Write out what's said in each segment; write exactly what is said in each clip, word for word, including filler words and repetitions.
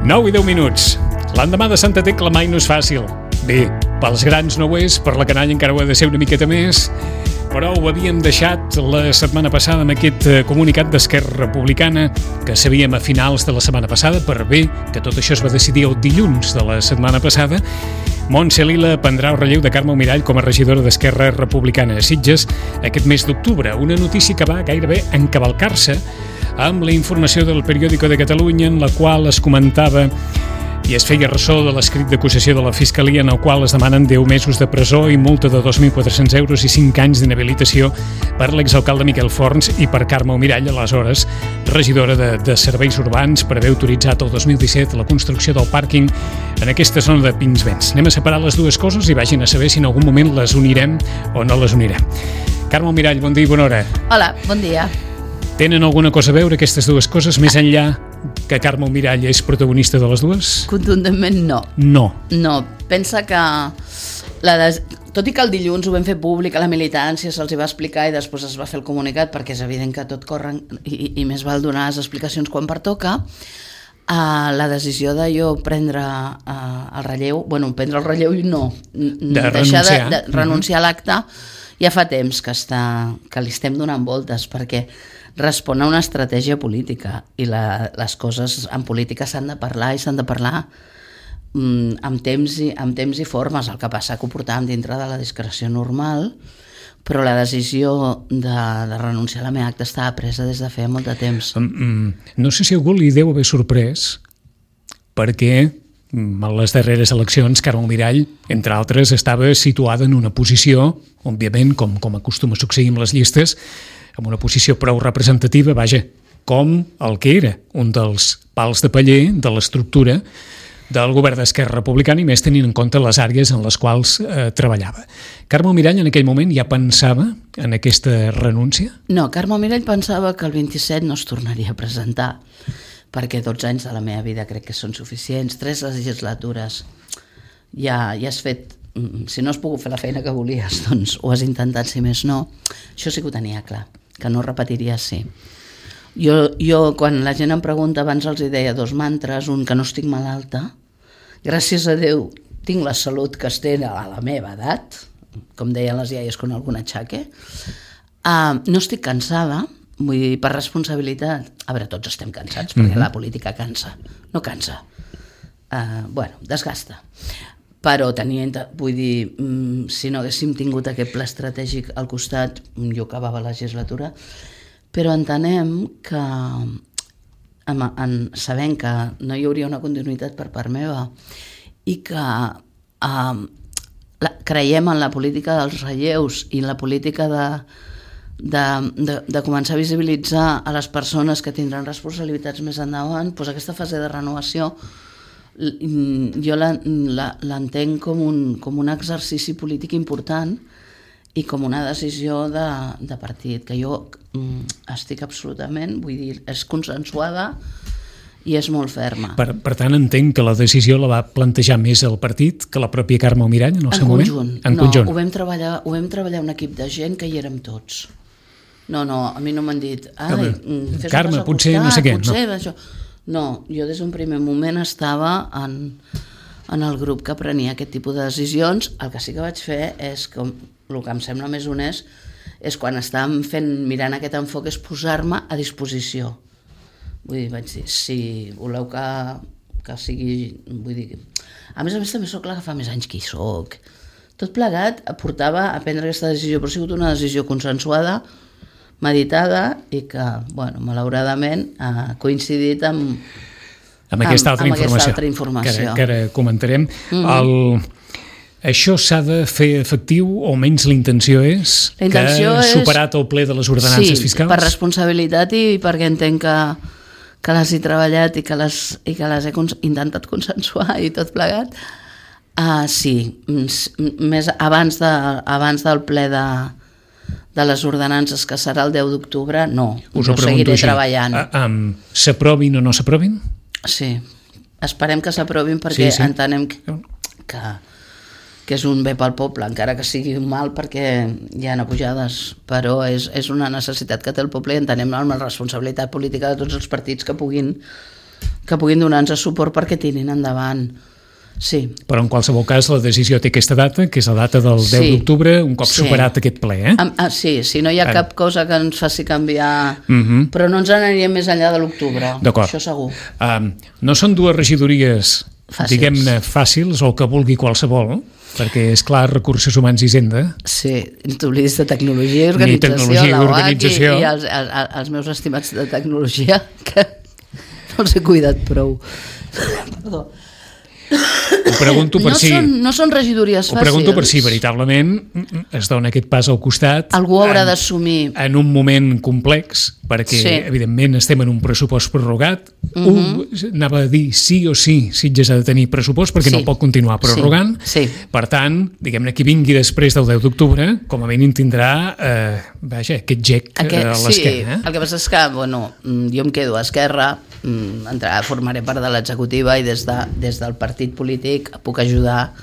nou i deu minuts. L'endemà de Santa Tecla mai no és fàcil. Bé, pels grans no ho és, per la canalla encara ho ha de ser una miqueta més, però ho havíem deixat la setmana passada amb aquest comunicat d'Esquerra Republicana que sabíem a finals de la setmana passada, per bé que tot això es va decidir el dilluns de la setmana passada. Montse Lila prendrà el relleu de Carme Almirall com a regidora d'Esquerra Republicana a Sitges aquest mes d'octubre, una notícia que va gairebé encavalcar-se amb la informació del Periódico de Catalunya en la qual es comentava i es feia ressò de l'escrit d'acusació de la Fiscalia en el qual es demanen deu mesos de presó i multa de dos mil quatre-cents euros i cinc anys d'inhabilitació per l'exalcalde Miquel Forns i per Carme Almirall, aleshores regidora de, de Serveis Urbans, per haver autoritzat el dos mil disset la construcció del pàrquing en aquesta zona de Pinsbens. Anem a separar les dues coses i vagin a saber si en algun moment les unirem o no les unirem. Carme Almirall, bon dia i bona hora. Hola, bon dia. Tenen alguna cosa a veure aquestes dues coses, més enllà que Carme Almirall és protagonista de les dues? Contundentment no. No. No, pensa que la des... tot i que el dilluns ho vam fer públic a la militància, se'ls va explicar i després es va fer el comunicat, perquè és evident que tot corre i, i més val donar les explicacions quan pertoca. Uh, la decisió de jo prendre uh, el relleu, bueno, prendre el relleu i no, de deixar renunciar, de, de renunciar uh-huh. a l'acte, ja fa temps que, està, que li estem donant voltes, perquè respon a una estratègia política i la, les coses en política s'han de parlar i s'han de parlar mm, amb, temps i, amb temps i formes. El que passa que ho portàvem dintre de la discreció normal, però la decisió de, de renunciar a la meva acta estava presa des de feia molt de temps. Um, no sé si algú li deu haver sorprès perquè a les darreres eleccions Carme Almirall, entre altres, estava situada en una posició, òbviament, com, com acostuma a succeir amb les llistes, amb una posició prou representativa, vaja, com el que era un dels pals de paller de l'estructura del govern d'Esquerra Republicana i més tenint en compte les àrees en les quals eh, treballava. Carme Almirall en aquell moment ja pensava en aquesta renúncia? No, Carme Almirall pensava que el vint-i-set no es tornaria a presentar, perquè dotze anys de la meva vida crec que són suficients, tres legislatures, ja, ja has fet, si no has pogut fer la feina que volies, doncs ho has intentat, si més no. Això sí que ho tenia clar, que no repetiria sí. Jo, jo quan la gent em pregunta, abans els deia dos mantres, un que no estic malalta, gràcies a Déu tinc la salut que es té a la meva edat, com deien les iaies con algun atxaque, uh, no estic cansada, vull dir, per responsabilitat, a veure, tots estem cansats, perquè mm-hmm. la política cansa, no cansa, uh, bueno, desgasta. Però tenia, vull dir, si no haguéssim tingut aquest pla estratègic al costat, jo acabava la legislatura, però entenem que, en, en, sabent que no hi hauria una continuïtat per part meva i que eh, la, creiem en la política dels relleus i en la política de, de, de, de començar a visibilitzar a les persones que tindran responsabilitats més endavant, doncs aquesta fase de renovació jo l'entenc com un, com un exercici polític important i com una decisió de, de partit, que jo estic absolutament, vull dir, és consensuada i és molt ferma. Per, per tant, entenc que la decisió la va plantejar més el partit que la pròpia Carme Almirall en el en seu conjunt. moment? En no, conjunt. Ho vam, treballar, ho vam treballar un equip de gent que hi érem tots. No, no, a mi no m'han dit ai, fes Carme, potser costat, no sé què. Potser no. això... No, jo des d'un primer moment estava en, en el grup que prenia aquest tipus de decisions. El que sí que vaig fer és, com, el que em sembla més honest, és quan estàvem fent, mirant aquest enfoc, és posar-me a disposició. Vull dir, vaig dir, si voleu que, que sigui... Vull dir, a més a més també sóc la que fa més anys que hi soc. Tot plegat portava a prendre aquesta decisió, però ha sigut una decisió consensuada, meditada i que, bueno, malauradament ha coincidit amb, amb aquesta altra amb, amb informació, aquesta altra informació. Que, ara, que ara comentarem. Mm-hmm. El, això s'ha de fer efectiu o menys la intenció és la intenció que és, superat el ple de les ordenances sí, fiscals? Sí, per responsabilitat i perquè entenc que, que les he treballat i que les, i que les he cons- intentat consensuar i tot plegat. Uh, sí, més abans, de, abans del ple de de les ordenances, que serà el deu d'octubre, no, Us no seguiré així. treballant. Uh, um, s'aprovin o no s'aprovin? Sí, esperem que s'aprovin perquè sí, sí. entenem que, que, que és un bé pel poble, encara que sigui un mal perquè hi ha pujades, però és, és una necessitat que té el poble i entenem amb la responsabilitat política de tots els partits que puguin que puguin donar-nos suport perquè tirin endavant. Sí. Però en qualsevol cas la decisió té aquesta data, que és la data del deu Sí. d'octubre, un cop Sí. superat aquest ple, eh? Ah, ah, sí, si no hi ha Ara. cap cosa que ens faci canviar, Mhm. però no ens n'aniríem més enllà de l'octubre, D'acord. això segur. Um, no són dues regidories, Fàcils. diguem-ne, fàcils, o el que vulgui qualsevol, perquè, és clar, Recursos Humans i Hisenda. Sí, t'oblidis de tecnologia i Ni organització, tecnologia i la U A C organització. i, i els, els, els meus estimats de tecnologia, que no els he cuidat prou. Perdó. Ho pregunto per no, si... són, no són regidories Ho fàcils. pregunto per si veritablement es dona aquest pas al costat. Algú haurà en- d'assumir. En un moment complex, perquè Sí. evidentment estem en un pressupost prorrogat. Mhm. Un, anava a dir sí o sí, Sitges ha de tenir pressupost perquè Sí. no pot continuar prorrogant. Sí, sí. Per tant, diguem-ne, qui vingui després del deu d'octubre, com a mínim tindrà eh, vaja, aquest gec Aquest, a sí, l'esquena. Eh? el que passa és que bueno, mm, jo em quedo a Esquerra, mm, entrarà, formaré part de l'executiva i des, de, des del partit polític puc ajudar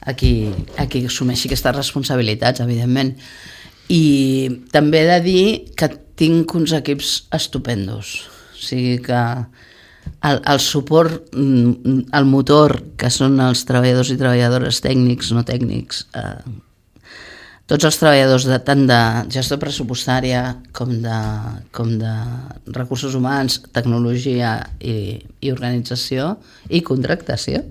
a qui, a qui assumeixi aquestes responsabilitats, evidentment. I també he de dir que tinc uns equips estupendos. O sigui que el, el suport, mm, el motor, que són els treballadors i treballadores tècnics, no tècnics, eh, tots els treballadors de, tant de gestió pressupostària com de, com de recursos humans, tecnologia i, i organització i contractació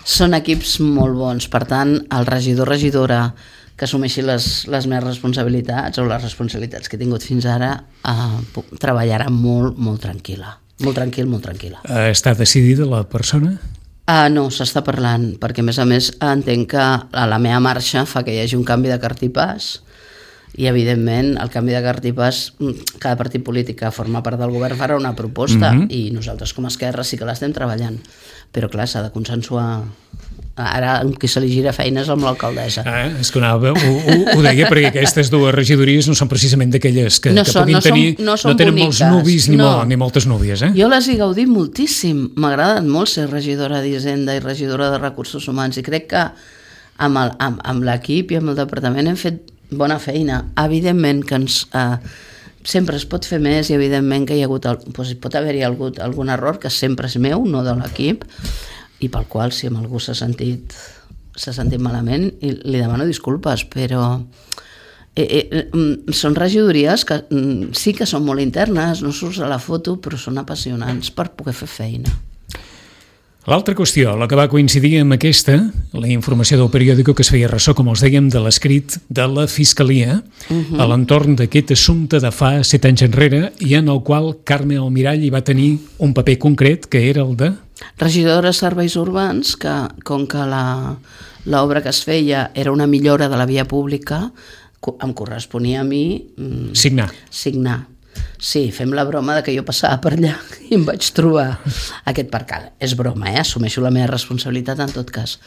són equips molt bons. Per tant, el regidor regidora que assumeixi les, les meves responsabilitats o les responsabilitats que he tingut fins ara eh, treballarà molt, molt tranquil·la. Molt tranquil, molt tranquil·la. Eh, està decidida la persona? Uh, no, s'està parlant, perquè a més a més entenc que a la meva marxa fa que hi hagi un canvi de cartipàs i evidentment el canvi de cartipàs, cada partit polític que forma part del govern farà una proposta Mhm. i nosaltres com a Esquerra sí que l'estem treballant, però clar, s'ha de consensuar. Ara amb qui se li gira feines amb l'alcaldessa. Ah, és que anava, ho, ho, ho deia perquè aquestes dues regidories no són precisament d'aquelles que, No que són- puguin no són- tenir, no són no tenen molts boniques, nuvis ni, no. molt, ni moltes núvies, eh? Jo les he gaudit moltíssim. M'ha agradat molt ser regidora d'Hisenda i regidora de Recursos Humans i crec que amb, el, amb, amb l'equip i amb el departament hem fet bona feina. Evidentment que ens, eh, sempre es pot fer més i evidentment que hi ha hagut el, doncs pot haver-hi hagut algun error que sempre és meu, no de l'equip, i pel qual si amb algú s'ha sentit s'ha sentit malament i li demano disculpes, però eh, eh, mm, són regidories que mm, sí que són molt internes, no surts a la foto, però són apassionants per poder fer feina. L'altra qüestió, la que va coincidir amb aquesta, la informació del periòdico que es feia ressò, com els dèiem, de l'escrit de la Fiscalia Mhm. a l'entorn d'aquest assumpte de fa set anys enrere i en el qual Carme Almirall hi va tenir un paper concret, que era el de... Regidora de serveis urbans, que com que la- l'obra que es feia era una millora de la via pública, co- em corresponia a mi mm, signar. signar. Sí, fem la broma de que jo passava per allà i em vaig trobar aquest percal. És broma, eh? Assumeixo la meva responsabilitat en tot cas.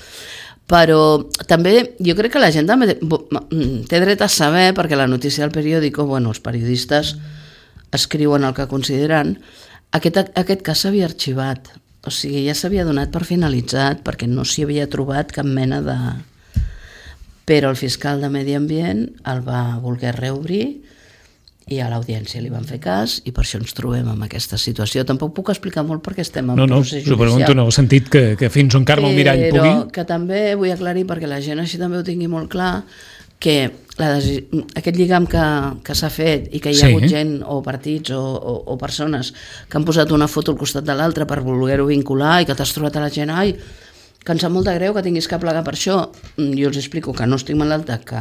Però també jo crec que la gent també té dret a saber, perquè la notícia del periòdico, bueno, els periodistes escriuen el que consideren, aquest, aquest cas s'havia arxivat. O sigui, ja s'havia donat per finalitzat perquè no s'hi havia trobat cap mena de... Però el fiscal de Medi Ambient el va voler reobrir i a l'audiència li van fer cas i per això ens trobem en aquesta situació. Tampoc puc explicar molt perquè estem en No, no, procés us ho pregunto judicial. en el sentit que, que fins on Carme Almirall pugui... Però que també vull aclarir, perquè la gent així també ho tingui molt clar, que la desi... aquest lligam que, que s'ha fet i que hi ha Sí. hagut gent o partits o, o, o persones que han posat una foto al costat de l'altra per voler-ho vincular i que t'has trobat a la gent, ai, que em sap molt de greu que tinguis que plegar per això. Jo els explico que no estic malalta, que,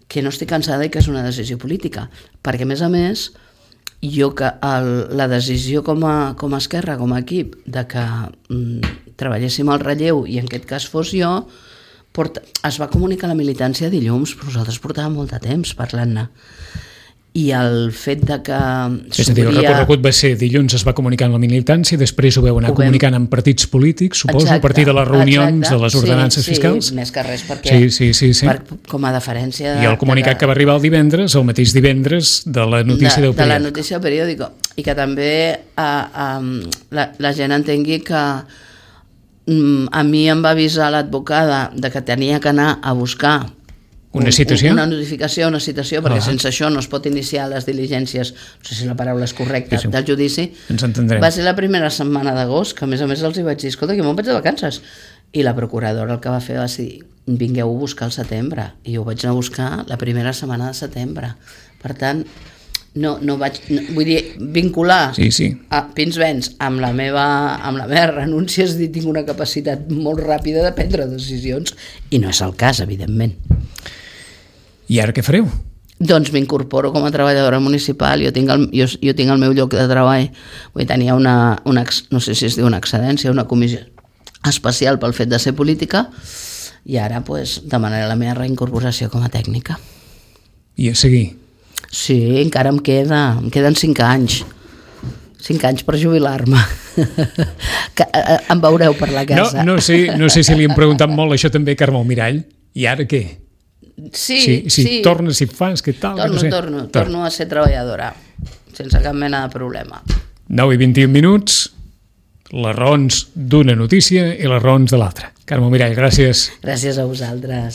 que no estic cansada i que és una decisió política. Perquè, a més a més, jo que el, la decisió com a, com a Esquerra, com a equip, de que mm, treballéssim al relleu i en aquest cas fos jo, porta, es va comunicar a la militància dilluns, però nosaltres portàvem molt de temps parlant-ne. I el fet de que És a dir, el recorregut va ser dilluns es va comunicar amb la militància, després ho veu anar Ho vam- comunicant amb partits polítics, suposo, Exacte, a partir de les reunions, exacte. de les ordenances sí, fiscals. Sí, més que res perquè Sí, sí, sí, sí. Per, com a deferència... De, I el comunicat de, que va arribar el divendres, el mateix divendres, de la notícia de, del de la periòdic. notícia del periòdico. I que també a, a, la, la gent entengui que mm, a mi em va avisar l'advocada de que tenia que anar a buscar Una citació? Una notificació, una citació, perquè Ah. sense això no es pot iniciar les diligències, no sé si la paraula és correcta, Sí, sí. del judici. Ens entendrem. Va ser la primera setmana d'agost, que a més a més els hi vaig dir, escolta, que me'n vaig de vacances. I la procuradora el que va fer va ser dir, vingueu a buscar al setembre. I jo vaig anar a buscar la primera setmana de setembre. Per tant, no, no vaig, no, vull dir, vincular Sí, sí. a Pinsbens amb la meva, amb la meva renúncia, és dir, tinc una capacitat molt ràpida de prendre decisions, i no és el cas, evidentment. I ara què fareu? Doncs m'incorporo com a treballadora municipal, jo tinc el, jo, jo tinc el meu lloc de treball, vull dir, tenia una, una, no sé si es diu una excedència, una comissió especial pel fet de ser política, i ara pues, demanaré la meva reincorporació com a tècnica. I a seguir. Sí, encara em queda, em queden cinc anys. Cinc anys per jubilar-me. Que, eh, em veureu per la No, casa. no, sé, no sé si li hem preguntat molt això també a Carme Almirall. I ara què? Sí, si, si sí. tornes, si fas, què tal? Torno, no sé. torno, torno a ser treballadora, sense cap mena de problema. nou i vint-i-un minuts, les raons d'una notícia i les raons de l'altra. Carme Almirall, gràcies. Gràcies a vosaltres.